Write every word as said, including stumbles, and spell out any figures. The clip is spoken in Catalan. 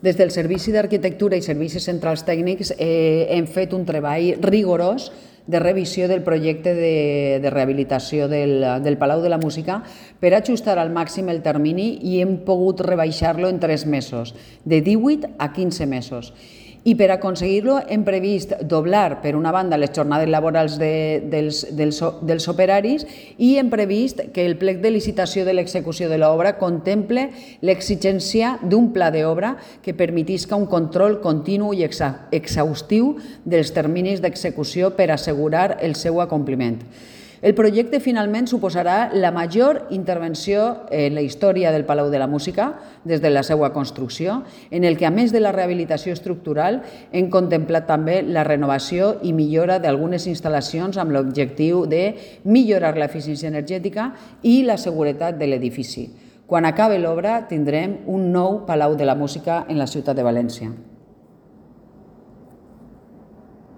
Des del Servici d'Arquitectura i Servicis Centrals Tècnics eh, hem fet un treball rigorós de revisió del projecte de, de rehabilitació del, del Palau de la Música per ajustar al màxim el termini i hem pogut rebaixar-lo en tres mesos, de divuit a quinze mesos. I per aconseguir-lo hem previst doblar, per una banda, les jornades laborals de, dels, dels, dels operaris i hem previst que el plec de licitació de l'execució de l'obra contemple l'exigència d'un pla d'obra que permetisca un control continu i exa, exhaustiu dels terminis d'execució per assegurar el seu acompliment. El projecte finalment suposarà la major intervenció en la història del Palau de la Música des de la seva construcció, en el que, a més de la rehabilitació estructural, hem contemplat també la renovació i millora d'algunes instal·lacions amb l'objectiu de millorar l'eficiència energètica i la seguretat de l'edifici. Quan acabi l'obra tindrem un nou Palau de la Música en la ciutat de València.